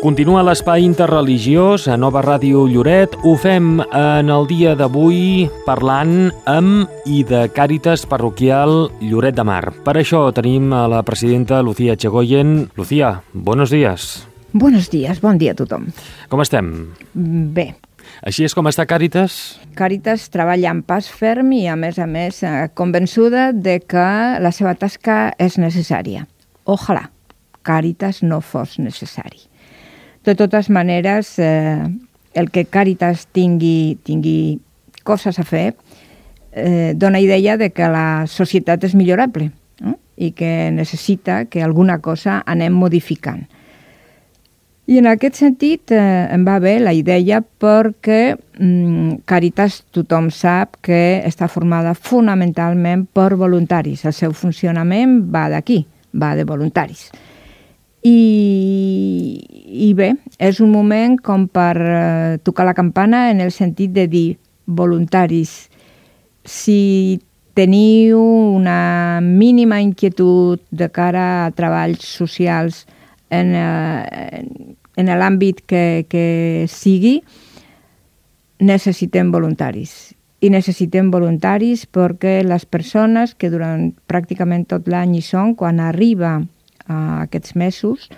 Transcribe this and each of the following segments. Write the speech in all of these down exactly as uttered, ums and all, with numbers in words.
Continua l'espai interreligiós a Nova Ràdio Lloret. Ho fem en el dia d'avui parlant amb i de Càritas Parroquial Lloret de Mar. Per això tenim a la presidenta Lucía Chegoyen. Lucía, buenos días. Buenos días, bon dia a tothom. Com estem? Bé. Així és com està Càritas? Càritas treballa amb pas ferm i, a més a més, convençuda de que la seva tasca és necessària. Ojalà Càritas no fos necessari. De totes maneres, eh, el que Càritas tingui, tingui coses a fer eh, dona idea de que la societat és millorable, eh? I que necessita que alguna cosa anem modificant. I en aquest sentit eh, em va bé la idea perquè mm, Càritas tothom sap que està formada fonamentalment per voluntaris. El seu funcionament va d'aquí, va de voluntaris. I, i bé, és un moment com per eh, tocar la campana en el sentit de dir voluntaris, si teniu una mínima inquietud de cara a treballs socials en, eh, en l'àmbit que, que sigui, necessitem voluntaris. I necessitem voluntaris perquè les persones que durant pràcticament tot l'any hi són, quan arriba a aquests mesos,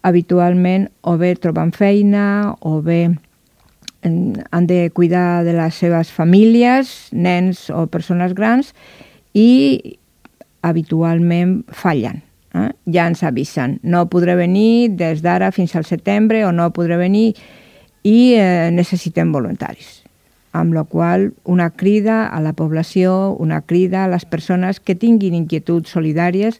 habitualment o bé troben feina o bé han de cuidar de les seves famílies, nens o persones grans, i habitualment fallen. Eh? Ja ens avisen, no podré venir des d'ara fins al setembre o no podré venir i eh, necessitem voluntaris. Amb la qual cosa una crida a la població, una crida a les persones que tinguin inquietuds solidàries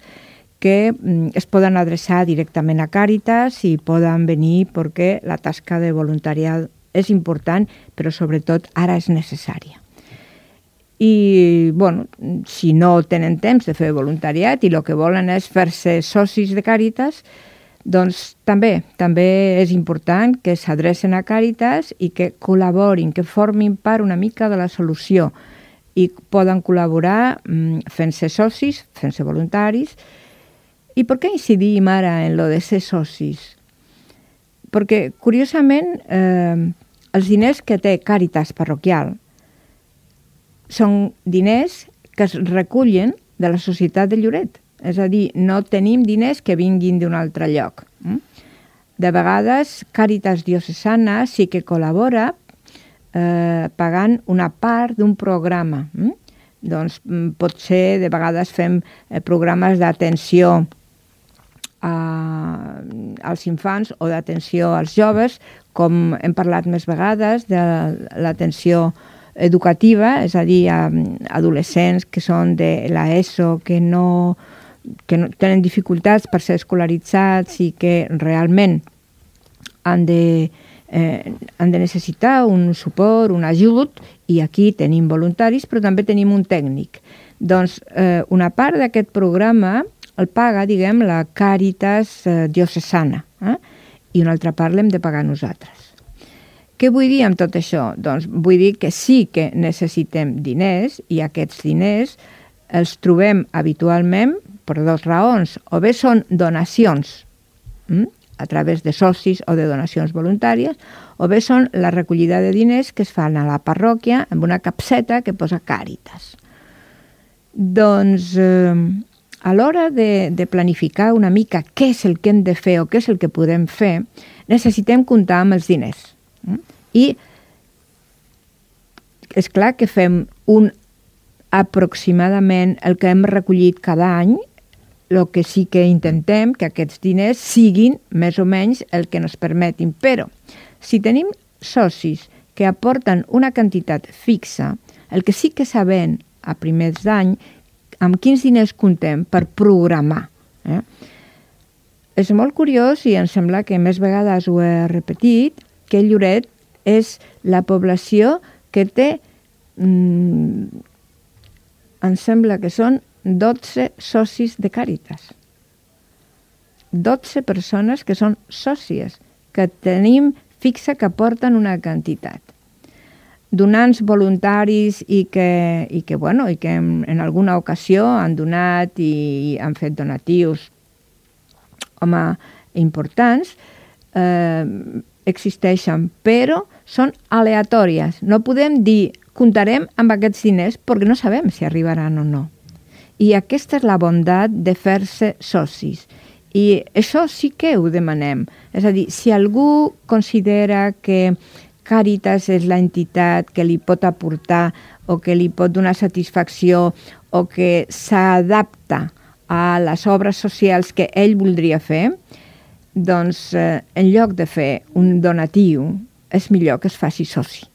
que es poden adreçar directament a Càritas i poden venir perquè la tasca de voluntariat és important, però sobretot ara és necessària. I, bueno, si no tenen temps de fer voluntariat i el que volen és fer-se socis de Càritas, doncs també, també és important que s'adrecen a Càritas i que col·laborin, que formin part una mica de la solució i poden col·laborar fent-se socis, fent-se voluntaris. I per què incidim ara en lo de ser socis? Perquè, curiosament, eh, els diners que té Càritas Parroquial són diners que es recullen de la societat de Lloret. És a dir, no tenim diners que vinguin d'un altre lloc. De vegades, Càritas Diocesana sí que col·labora eh, pagant una part d'un programa. Doncs pot ser, de vegades fem eh, programes d'atenció A, als infants o d'atenció als joves, com hem parlat més vegades de l'atenció educativa, és a dir, a adolescents que són de l'ESO, que no, que no tenen dificultats per ser escolaritzats i que realment han de, eh, han de necessitar un suport, un ajut, i aquí tenim voluntaris, però també tenim un tècnic. Doncs eh, una part d'aquest programa el paga, diguem, la Càritas eh, Diocesana, eh? I una altra part l'hem de pagar nosaltres. Què vull dir amb tot això? Doncs vull dir que sí que necessitem diners i aquests diners els trobem habitualment per dues raons. O bé són donacions hm? a través de socis o de donacions voluntàries, o bé són la recollida de diners que es fan a la parròquia amb una capseta que posa Càritas. Doncs eh, a l'hora de, de planificar una mica què és el que hem de fer o què és el que podem fer, necessitem comptar amb els diners. I és clar que fem un aproximadament el que hem recollit cada any, el que sí que intentem que aquests diners siguin més o menys el que ens permetin. Però si tenim socis que aporten una quantitat fixa, el que sí que sabem a primers d'any amb quins diners comptem per programar. Eh? És molt curiós i em sembla que més vegades ho he repetit, que Lloret és la població que té, mm, em sembla que són dotze socis de Càritas. dotze persones que són sòcies, que tenim fixa que aporten una quantitat. Donants voluntaris i que, i que, bueno, i que en, en alguna ocasió han donat i han fet donatius. Home, importants, eh, existeixen, però són aleatòries. No podem dir comptarem amb aquests diners perquè no sabem si arribaran o no. I aquesta és la bondat de fer-se socis. I això sí que ho demanem. És a dir, si algú considera que Càritas és l'entitat que li pot aportar o que li pot donar satisfacció o que s'adapta a les obres socials que ell voldria fer, doncs eh, en lloc de fer un donatiu és millor que es faci soci.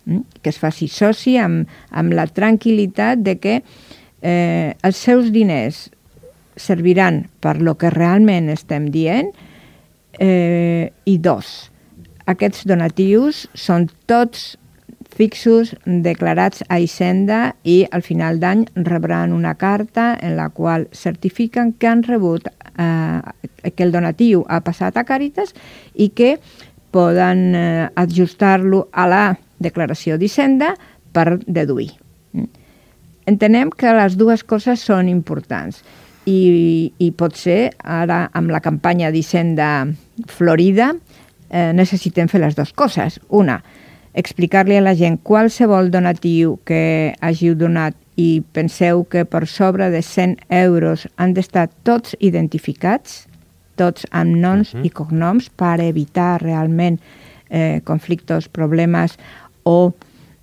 Mm? Que es faci soci amb, amb la tranquil·litat de que eh, els seus diners serviran per lo que realment estem dient eh, i dos, aquests donatius són tots fixos, declarats a Hisenda i al final d'any rebran una carta en la qual certifiquen que han rebut, eh, que el donatiu ha passat a Càritas i que poden eh, ajustar-lo a la declaració d'Hisenda per deduir. Entenem que les dues coses són importants i, i potser ara amb la campanya d'Hisenda Florida eh, necessitem fer les dues coses. Una, explicar-li a la gent qualsevol donatiu que hàgiu donat i penseu que per sobre de cent euros han d'estar tots identificats, tots amb noms uh-huh. i cognoms per evitar realment eh, conflictes, problemes o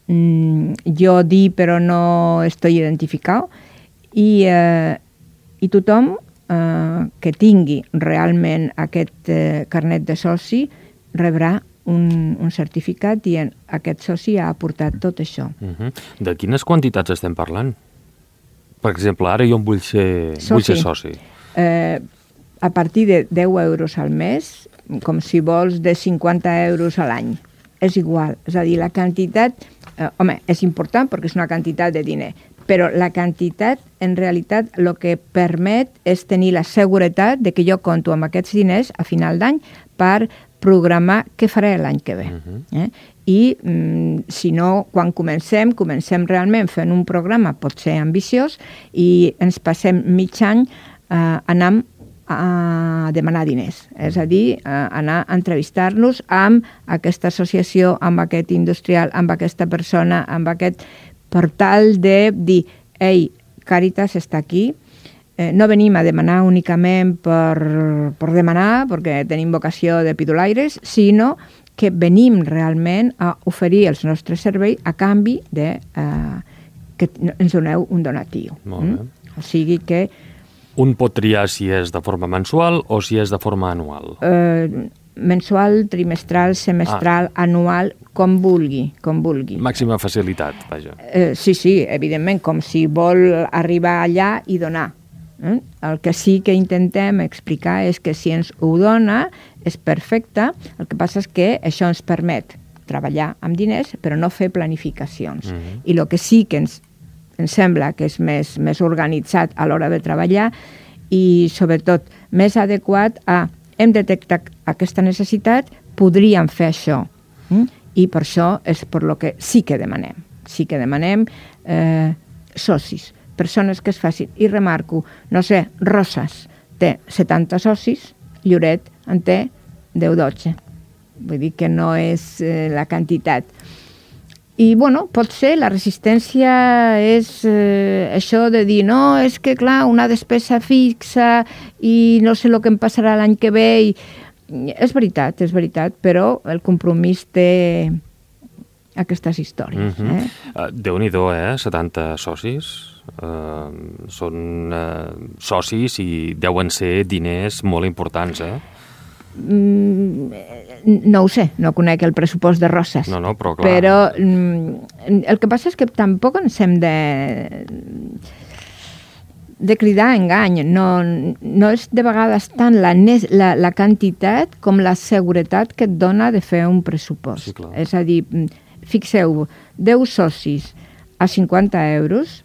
mm, jo dir però no estoy identificado i, eh, i tothom eh, que tingui realment aquest eh, carnet de soci rebrà un, un certificat dient aquest soci ha aportat tot això. Uh-huh. De quines quantitats estem parlant? Per exemple, ara jo em vull ser soci. Vull ser soci. Eh, a partir de deu euros al mes, com si vols de cinquanta euros a l'any. És igual. És a dir, la quantitat, eh, home, és important perquè és una quantitat de diner, però la quantitat, en realitat, el que permet és tenir la seguretat de que jo compto amb aquests diners a final d'any per programar què faré l'any que ve. Uh-huh. eh? I, mm, si no, quan comencem, comencem realment fent un programa, pot ser ambiciós, i ens passem mig any eh, anant a demanar diners. És a dir, a anar a entrevistar-nos amb aquesta associació, amb aquest industrial, amb aquesta persona, amb aquest portal de dir, ei, Càritas està aquí, eh, no venim a demanar únicament per, per demanar, perquè tenim vocació de pidolaires, sinó que venim realment a oferir els nostres serveis a canvi de eh, que ens doneu un donatiu. Molt bé. Mm? O sigui que un pot triar si és de forma mensual o si és de forma anual? Eh, mensual, trimestral, semestral, ah. anual, com vulgui, com vulgui. Màxima facilitat, vaja. Eh, sí, sí, evidentment, com si vol arribar allà i donar. Eh? El que sí que intentem explicar és que si ens ho dona és perfecte, el que passa és que això ens permet treballar amb diners però no fer planificacions. Mm-hmm. I el que sí que ens ens sembla que és més, més organitzat a l'hora de treballar i, sobretot, més adequat a hem detectat aquesta necessitat, podríem fer això. Mm? I per això és per lo que sí que demanem. Sí que demanem eh, socis, persones que es facin. I remarco, no sé, Roses té setanta socis, Lloret en té deu dotze. Vull dir que no és eh, la quantitat. I, bueno, pot ser, la resistència és eh, això de dir, no, és que, clar, una despesa fixa i no sé el que em passarà l'any que ve. I... És veritat, és veritat, però el compromís té aquestes històries. Mm-hmm. eh? Uh, Déu-n'hi-do, eh? setanta socis. Uh, són uh, socis i deuen ser diners molt importants, eh? No ho sé, no conec el pressupost de Roses. No, no, però clar. Però el que passa és que tampoc ens hem de de cridar a engany. No, no és de vegades tant la, la, la quantitat com la seguretat que et dona de fer un pressupost. Sí, clar. És a dir, fixeu, deu socis a cinquanta euros.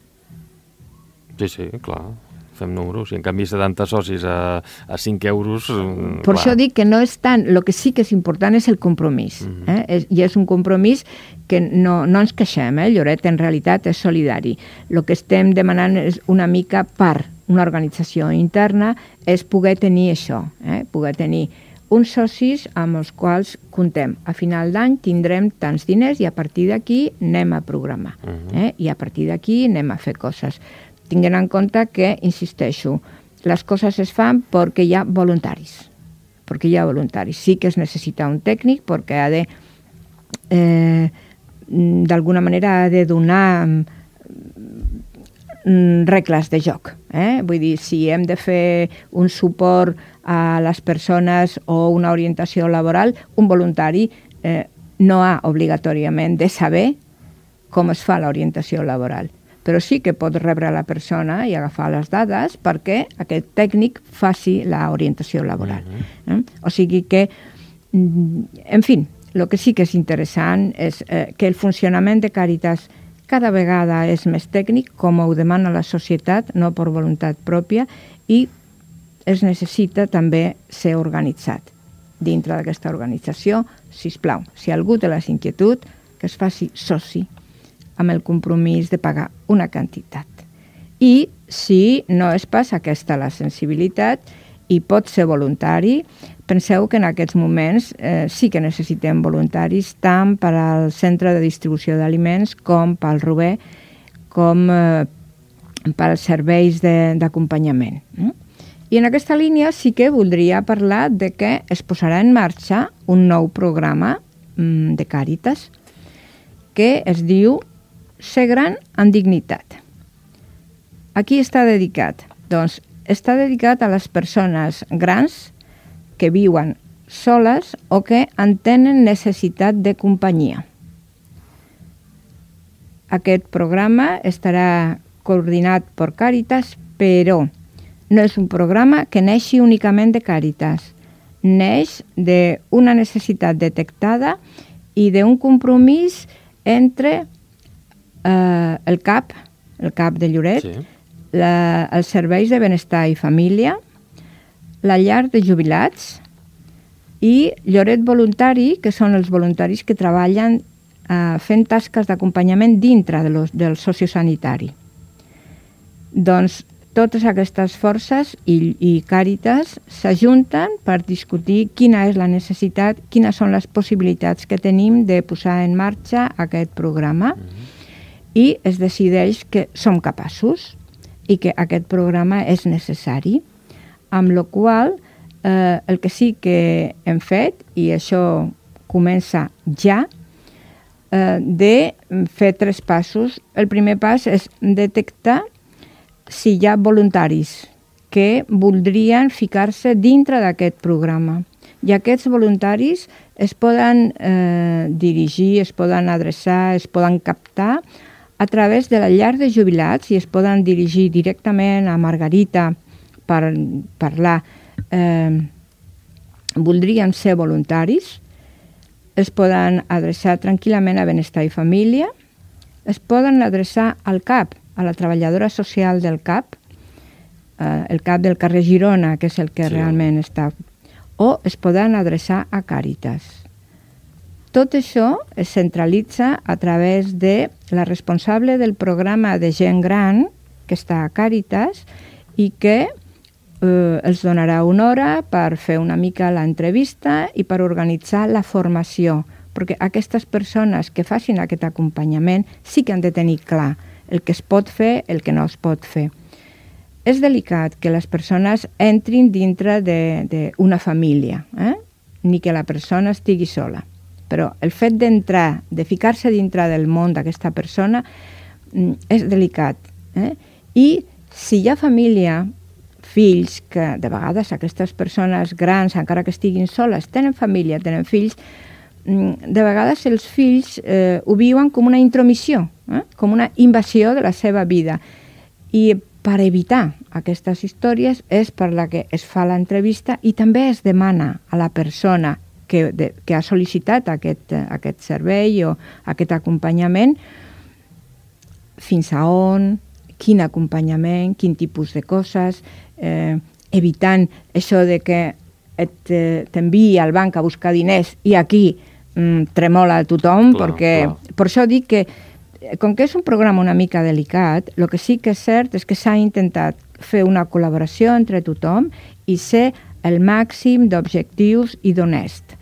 Sí, sí, clar. Fem números, i en canvi setanta socis a, a cinc euros... Per clar. això dic que no és tant, el que sí que és important és el compromís, mm-hmm. eh? és, i és un compromís que no, no ens queixem, eh? Lloret en realitat és solidari. El que estem demanant és una mica per una organització interna és poder tenir això, eh? poder tenir uns socis amb els quals comptem. A final d'any tindrem tants diners i a partir d'aquí anem a programar. Uh-huh. eh? I a partir d'aquí anem a fer coses. Tinguent en compte que, insisteixo, les coses es fan perquè hi ha voluntaris. Perquè hi ha voluntaris. Sí que es necessita un tècnic perquè ha de, eh, d'alguna manera, ha de donar regles de joc. Eh? Vull dir, si hem de fer un suport a les persones o una orientació laboral, un voluntari eh, no ha obligatòriament de saber com es fa l'orientació laboral, però sí que pot rebre la persona i agafar les dades perquè aquest tècnic faci l'orientació laboral. Uh-huh. eh? O sigui que, en fi, el que sí que és interessant és eh, que el funcionament de Càritas cada vegada és més tècnic, com ho demana la societat, no per voluntat pròpia, i es necessita també ser organitzat. Dintre d'aquesta organització, sisplau, si algú té la inquietud, que es faci soci amb el compromís de pagar una quantitat. I si no es passa aquesta la sensibilitat i pot ser voluntari, penseu que en aquests moments eh, sí que necessitem voluntaris tant per al centre de distribució d'aliments com pel Rober, com eh, pels serveis d'acompanyament. Mm? I en aquesta línia sí que voldria parlar de que es posarà en marxa un nou programa mm, de Càritas que es diu Ser gran amb dignitat. A qui està dedicat? Doncs està dedicat a les persones grans que viuen soles o que en tenen necessitat de companyia. Aquest programa estarà coordinat per Càritas, però no és un programa que neixi únicament de Càritas. Neix d'una necessitat detectada i d'un compromís entre eh, el CAP, el CAP de Lloret, sí. la, els serveis de benestar i família, la llar de jubilats i Lloret Voluntari, que són els voluntaris que treballen eh, fent tasques d'acompanyament dintre de los, del sociosanitari. Doncs totes aquestes forces i, i Càritas s'ajunten per discutir quina és la necessitat, quines són les possibilitats que tenim de posar en marxa aquest programa mm-hmm. i es decideix que som capaços i que aquest programa és necessari, amb la qual eh, el que sí que hem fet, i això comença ja, eh, de fer tres passos. El primer pas és detectar si hi ha voluntaris que voldrien ficar-se dintre d'aquest programa. I aquests voluntaris es poden eh, dirigir, es poden adreçar, es poden captar a través de la llar de jubilats i es poden dirigir directament a Margarita per parlar. Eh, voldrien ser voluntaris, es poden adreçar tranquil·lament a Benestar i Família, es poden adreçar al CAP, a la treballadora social del CAP, eh, el CAP del carrer Girona, que és el que sí. realment està, o es poden adreçar a Càritas. Tot això es centralitza a través de la responsable del programa de gent gran, que està a Càritas, i que eh, els donarà una hora per fer una mica l'entrevista i per organitzar la formació, perquè aquestes persones que facin aquest acompanyament sí que han de tenir clar el que es pot fer, el que no es pot fer. És delicat que les persones entrin dintre d'una família, eh? ni que la persona estigui sola. Però el fet d'entrar, de ficar-se dintre del món d'aquesta persona, és delicat. Eh? I si hi ha família, fills, que de vegades aquestes persones grans, encara que estiguin soles, tenen família, tenen fills, de vegades els fills eh, ho viuen com una intromissió, eh? com una invasió de la seva vida. I per evitar aquestes històries és per la que es fa l'entrevista i també es demana a la persona que, de, que ha sol·licitat aquest, aquest servei o aquest acompanyament fins a on, quin acompanyament, quin tipus de coses, eh, evitant això de que t'enviï al banc a buscar diners i aquí mm, tremola a tothom, clar, perquè clar. Per això dic que com que és un programa una mica delicat, el que sí que és cert és que s'ha intentat fer una col·laboració entre tothom i ser el màxim d'objectius i d'honest.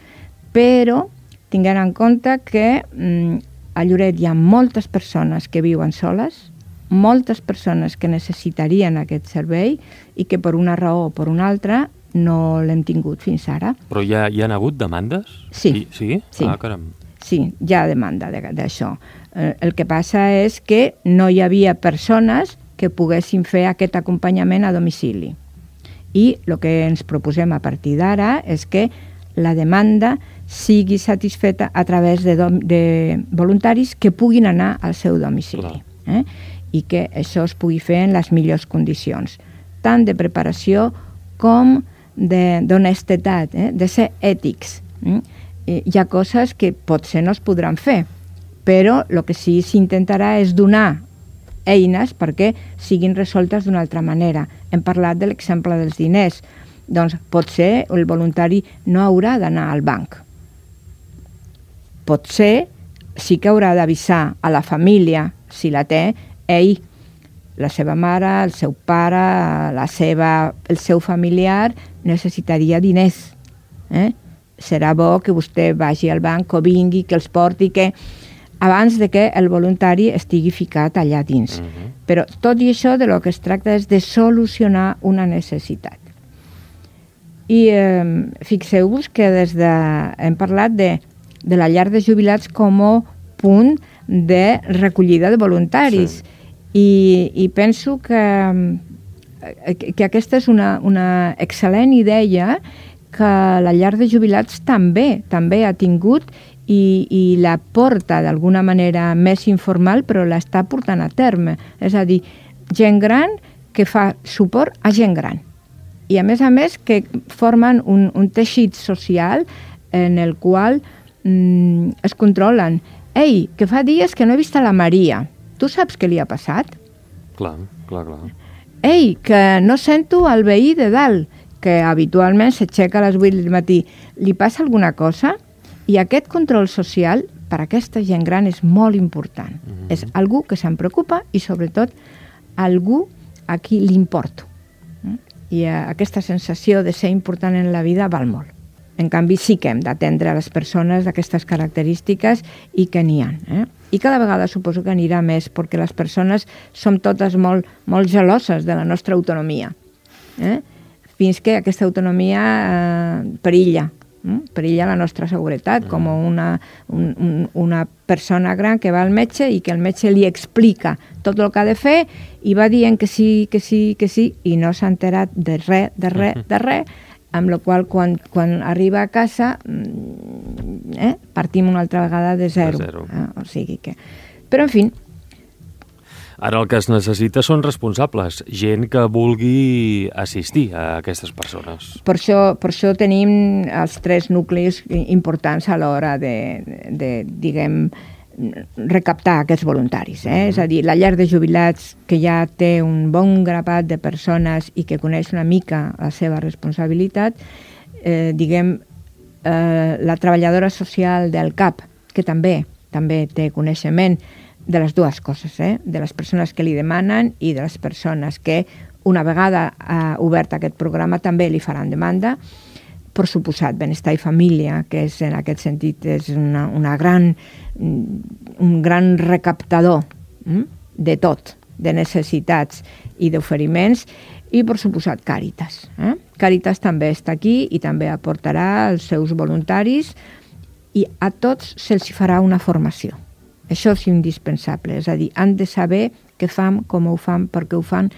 Però tinguent en compte que mm, a Lloret hi ha moltes persones que viuen soles, moltes persones que necessitarien aquest servei i que per una raó o per una altra no l'hem tingut fins ara. Però hi ha, hi ha hagut demandes? Sí. Sí? Sí. Ah, caram. Sí, hi ha demanda d'això. Eh, el que passa és que no hi havia persones que poguessin fer aquest acompanyament a domicili. I el que ens proposem a partir d'ara és que la demanda sigui satisfeta a través de, dom de voluntaris que puguin anar al seu domicili. Eh? I que això es pugui fer en les millors condicions, tant de preparació com d'honestedat, eh? de ser ètics. Eh? Hi ha coses que potser no es podran fer, però el que sí s'intentarà és donar eines perquè siguin resoltes d'una altra manera. Hem parlat de l'exemple dels diners. Doncs potser el voluntari no haurà d'anar al banc. Potser sí que haurà d'avisar a la família, si la té, ell, la seva mare, el seu pare, la seva, el seu familiar necessitaria diners. Eh? Serà bo que vostè vagi al banc o vingui, que els porti, que abans de que el voluntari estigui ficat allà dins. Uh-huh. Però tot i això, de lo que es tracta és de solucionar una necessitat. I eh, fixeu-vos que des de, hem parlat de, de la llar de jubilats com a punt de recollida de voluntaris. Sí. I, i penso que, que aquesta és una, una excel·lent idea que la llar de jubilats també també ha tingut i, i la porta d'alguna manera més informal, però l'està portant a terme. És a dir, gent gran que fa suport a gent gran. I a més a més que formen un, un teixit social en el qual mm, es controlen. Ei, que fa dies que no he vist a la Maria. Tu saps què li ha passat? Clar, clar, clar. Ei, que no sento el veí de dalt, que habitualment s'aixeca a les vuit del matí. Li passa alguna cosa? I aquest control social per a aquesta gent gran és molt important. Mm-hmm. És algú que se'n preocupa i sobretot algú a qui li importo. I aquesta sensació de ser important en la vida val molt. En canvi, sí que hem d'atendre a les persones d'aquestes característiques i que n'hi ha. Eh? I cada vegada suposo que anirà més, perquè les persones som totes molt, molt geloses de la nostra autonomia. Eh? Fins que aquesta autonomia eh, perilla. Eh? Perilla la nostra seguretat, com una, un, un, una persona gran que va al metge i que el metge li explica tot el que ha de fer i va dient que sí, que sí, que sí, i no s'ha enterat de res, de res, de res, amb la qual quan, quan arriba a casa eh, partim una altra vegada de zero. De zero. Eh? O sigui que... Però, en fi... Ara el que es necessita són responsables, gent que vulgui assistir a aquestes persones. Per això, per això tenim els tres nuclis importants a l'hora de, de, diguem, recaptar aquests voluntaris. Eh? Mm-hmm. És a dir, la llar de jubilats, que ja té un bon grapat de persones i que coneix una mica la seva responsabilitat, eh, diguem, eh, la treballadora social del C A P, que també, també té coneixement de les dues coses, eh? De les persones que li demanen i de les persones que, una vegada ha obert aquest programa, també li faran demanda. Per suposat, Benestar i Família, que és, en aquest sentit és una, una gran, un gran recaptador hm? de tot, de necessitats i d'oferiments, i per suposat Càritas. Eh? Càritas també està aquí i també aportarà els seus voluntaris i a tots se'ls farà una formació. Això és indispensable, és a dir, han de saber què fan, com ho fan, per què ho fan,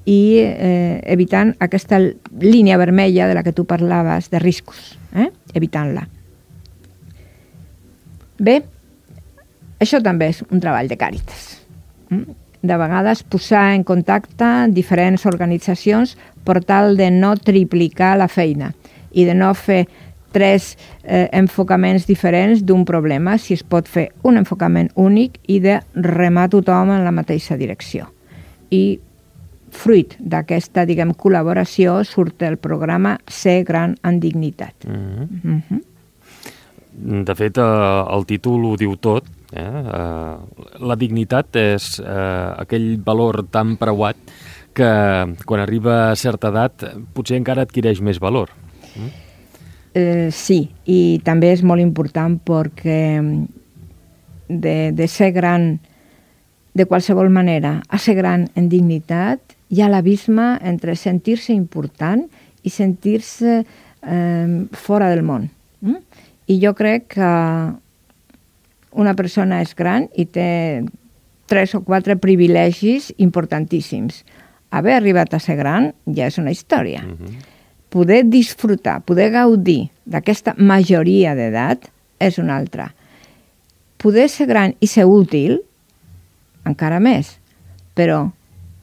i eh, evitant aquesta línia vermella de la que tu parlaves, de riscos, eh? Evitant-la. Bé, això també és un treball de Càritas. De vegades posar en contacte diferents organitzacions per tal de no triplicar la feina i de no fer tres eh, enfocaments diferents d'un problema, si es pot fer un enfocament únic i de remar tothom en la mateixa direcció. I fruit d'aquesta, diguem, col·laboració surt el programa Ser gran en dignitat. Mm-hmm. Mm-hmm. De fet, eh, el títol ho diu tot. Eh? Eh, la dignitat és eh, aquell valor tan preuat que quan arriba a certa edat potser encara adquireix més valor. Mm? Eh, sí, i també és molt important perquè de, de ser gran de qualsevol manera a ser gran en dignitat hi ha l'abisme entre sentir-se important i sentir-se eh, fora del món. Mm? I jo crec que una persona és gran i té tres o quatre privilegis importantíssims. Haver arribat a ser gran ja és una història. Uh-huh. Poder disfrutar, poder gaudir d'aquesta majoria d'edat és una altra. Poder ser gran i ser útil, encara més. Però,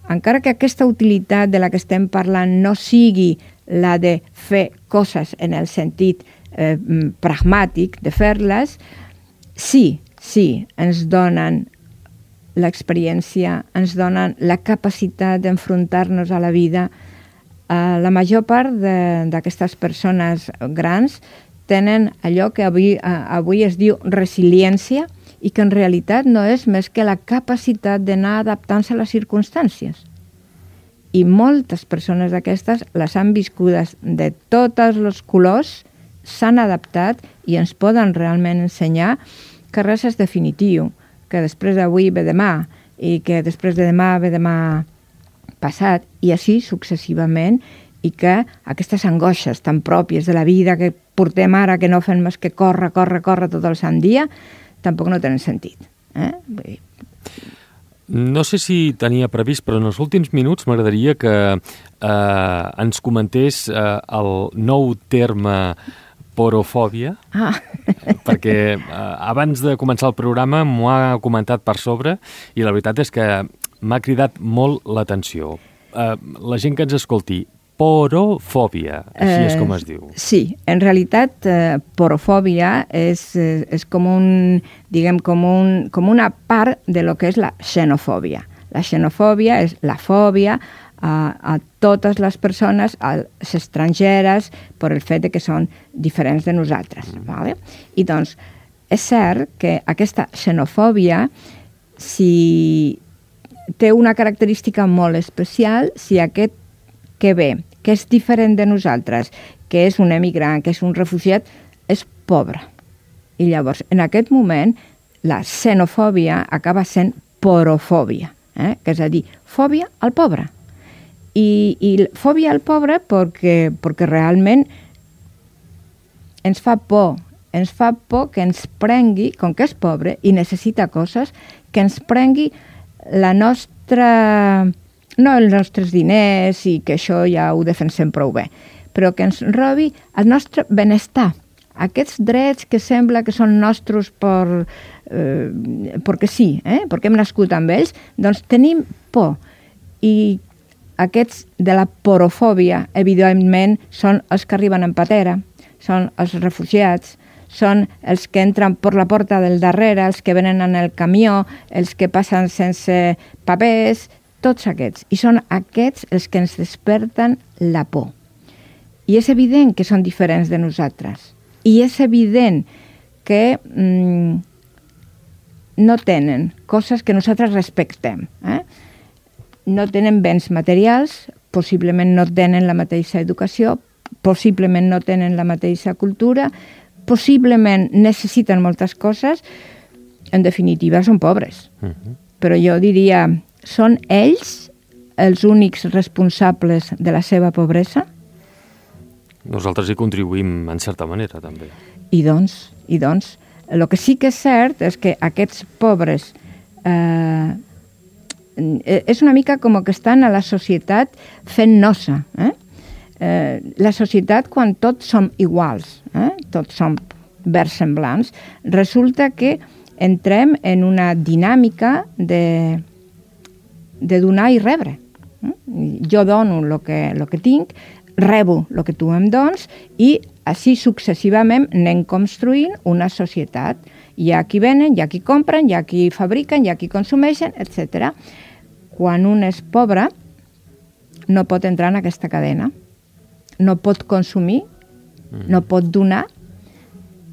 encara que aquesta utilitat de la que estem parlant no sigui la de fer coses en el sentit eh, pragmàtic de fer-les, sí, sí, ens donen l'experiència, ens donen la capacitat d'enfrontar-nos a la vida. Uh, la major part d'aquestes persones grans tenen allò que avui, uh, avui es diu resiliència i que en realitat no és més que la capacitat d'anar adaptant-se a les circumstàncies. I moltes persones d'aquestes les han viscudes de tots els colors, s'han adaptat i ens poden realment ensenyar que res és definitiu, que després d'avui ve demà i que després de demà ve demà passat i així successivament, i que aquestes angoixes tan pròpies de la vida que portem ara, que no fem més que córrer, córrer, córrer tot el sant dia, tampoc no tenen sentit. Eh? No sé si tenia previst, però en els últims minuts m'agradaria que eh, ens comentés eh, el nou terme porofòbia, ah. perquè eh, abans de començar el programa m'ho ha comentat per sobre i la veritat és que m'ha cridat molt l'atenció. Eh, la gent que ens escolti, porofòbia, així eh, és com es diu. Sí, en realitat eh, porofòbia és, és com, un, diguem, com, un, com una part de lo que és la xenofòbia. La xenofòbia és la fòbia a, a totes les persones, a les estrangeres, per el fet de que són diferents de nosaltres. Mm. Vale? I doncs, és cert que aquesta xenofòbia, si té una característica molt especial, si aquest que ve, que és diferent de nosaltres, que és un emigrant, que és un refugiat, és pobre. I llavors, en aquest moment, la xenofòbia acaba sent porofòbia, eh? Que és a dir, fòbia al pobre. I, i fòbia al pobre perquè, perquè realment ens fa por, ens fa por que ens prengui, com que és pobre i necessita coses, que ens prengui la nostra... no els nostres diners i que això ja ho defensem prou bé, però que ens robi el nostre benestar. Aquests drets que sembla que són nostres per, eh, perquè sí, eh, perquè hem nascut amb ells, doncs tenim por. I aquests de la porofòbia, evidentment, són els que arriben en patera, són els refugiats, són els que entren per la porta del darrere, els que venen en el camió, els que passen sense papers, tots aquests. I són aquests els que ens desperten la por. I és evident que són diferents de nosaltres. I és evident que mm, no tenen coses que nosaltres respectem. Eh? No tenen béns materials, possiblement no tenen la mateixa educació, possiblement no tenen la mateixa cultura, possiblement necessiten moltes coses. En definitiva, són pobres. Uh-huh. Però jo diria... Són ells els únics responsables de la seva pobresa? Nosaltres hi contribuïm en certa manera, també. I doncs, i doncs, el que sí que és cert és que aquests pobres eh, és una mica com que estan a la societat fent nosa. Eh? Eh, la societat, quan tots som iguals, eh? tots som versemblants, resulta que entrem en una dinàmica de... de donar i rebre. Jo dono el que, lo que tinc, rebo el que tu em dones i així successivament anem construint una societat. Hi ha qui venen, hi ha qui compren, hi ha qui fabriquen, hi ha qui consumeixen, etcètera. Quan un és pobre, no pot entrar en aquesta cadena. No pot consumir, no pot donar,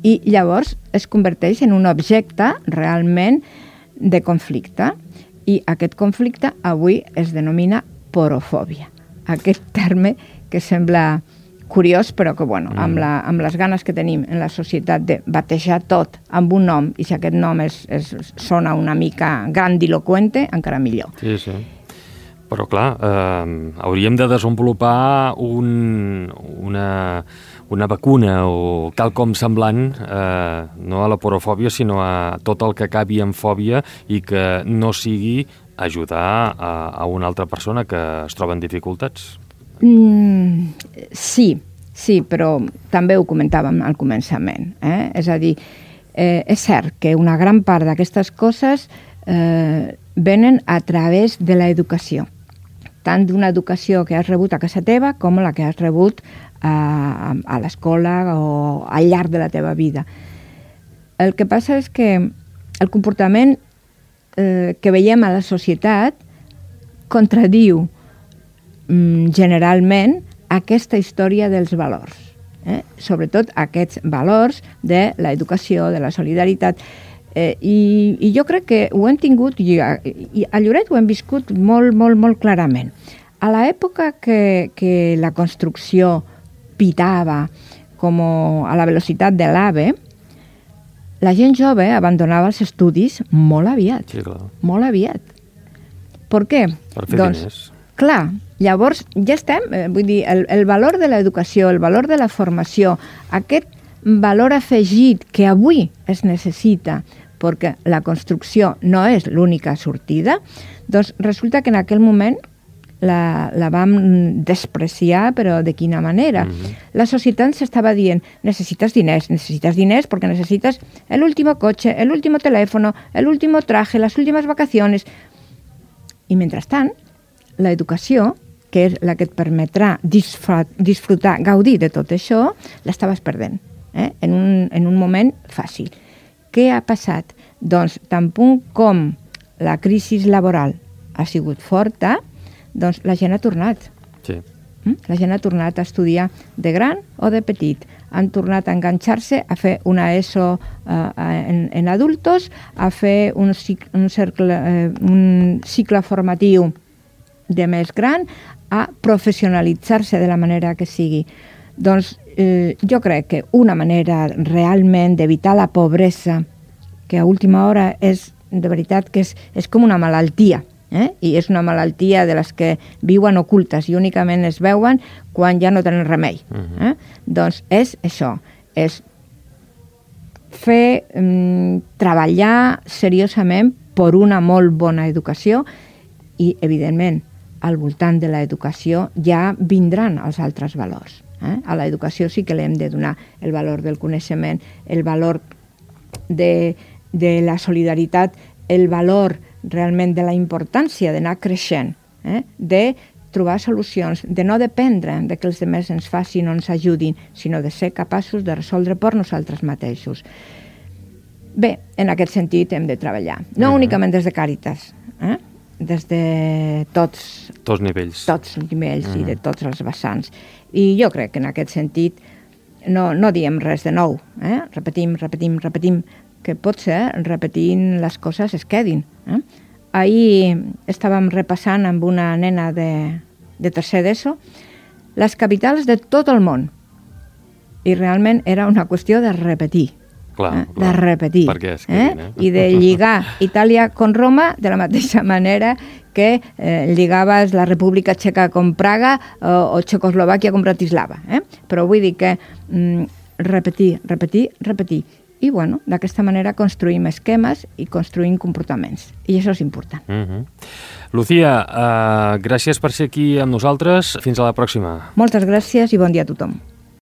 i llavors es converteix en un objecte realment de conflicte. I aquest conflicte avui es denomina porofòbia. Aquest terme que sembla curiós, però que, bueno, mm. amb, la, amb les ganes que tenim en la societat de batejar tot amb un nom, i si aquest nom és, és, sona una mica grandiloquente, encara millor. Sí, sí. Però, clar, eh, hauríem de desenvolupar un, una, una vacuna o quelcom semblant, eh, no a la porofòbia, sinó a tot el que acabi en fòbia i que no sigui ajudar a, a una altra persona que es troba en dificultats. Mm, sí, sí, però també ho comentàvem al començament. Eh? És a dir, eh, és cert que una gran part d'aquestes coses eh, venen a través de l'educació, tant d'una educació que has rebut a casa teva com la que has rebut a, a l'escola o al llarg de la teva vida. El que passa és que el comportament eh, que veiem a la societat contradiu generalment aquesta història dels valors, eh? Sobretot aquests valors de l'educació, de la solidaritat, eh, i, i jo crec que ho hem tingut, i a, i a Lloret ho hem viscut molt, molt, molt clarament. A l'època que, que la construcció pitava com a la velocitat de l'AVE, la gent jove abandonava els estudis molt aviat. Sí, clar. Molt aviat. Per què? Per fer doncs, diners. Clar, llavors ja estem, eh, vull dir, el, el valor de l'educació, el valor de la formació, aquest valor afegit que avui es necessita perquè la construcció no és l'única sortida, doncs resulta que en aquell moment la, la vam despreciar, però de quina manera? Mm-hmm. La societat s'estava dient, necessites diners, necessites diners perquè necessites el último coche, el último teléfono, el último traje, las últimas vacaciones. I mentrestant, l'educació, que és la que et permetrà disfrutar, gaudir de tot això, l'estaves perdent, eh? en, un, en un moment fàcil. Què ha passat? Doncs, tan punt com la crisi laboral ha sigut forta, doncs la gent ha tornat. Sí. La gent ha tornat a estudiar de gran o de petit. Han tornat a enganxar-se a fer una ESO eh, en, en adultos, a fer un, cicle, un, cercle, eh, un cicle formatiu de més gran, a professionalitzar-se de la manera que sigui. Doncs eh, jo crec que una manera realment d'evitar la pobresa, que a última hora és, de veritat, que és, és com una malaltia, eh? I és una malaltia de les que viuen ocultes i únicament es veuen quan ja no tenen remei. Uh-huh. eh? Doncs és això, és fer, mm, treballar seriosament per una molt bona educació i, evidentment, al voltant de l'educació ja vindran els altres valors. Eh? A l'educació sí que li hem de donar el valor del coneixement, el valor de, de la solidaritat, el valor realment de la importància d'anar creixent, eh? de trobar solucions, de no dependre de que els altres ens facin o ens ajudin, sinó de ser capaços de resoldre per nosaltres mateixos. Bé, en aquest sentit hem de treballar, no uh-huh. únicament des de Càritas, eh? des de tots, tots nivells, tots nivells uh-huh. i de tots els vessants. I jo crec que en aquest sentit no, no diem res de nou. Eh? Repetim, repetim, repetim, que potser repetint les coses es quedin. Eh? Ahir estàvem repassant amb una nena de, de tercer d'ESO les capitals de tot el món. I realment era una qüestió de repetir. Clar, eh? clar. De repetir. Perquè es quedin, eh? I de lligar Itàlia con Roma de la mateixa manera que eh, lligaves la República Txeca con Praga o, o Txecoslovàquia con Bratislava. Eh? Però vull dir que mm, repetir, repetir, repetir. I, bueno, d'aquesta manera construïm esquemes i construïm comportaments. I això és important. Uh-huh. Lucía, uh, gràcies per ser aquí amb nosaltres. Fins a la pròxima. Moltes gràcies i bon dia a tothom.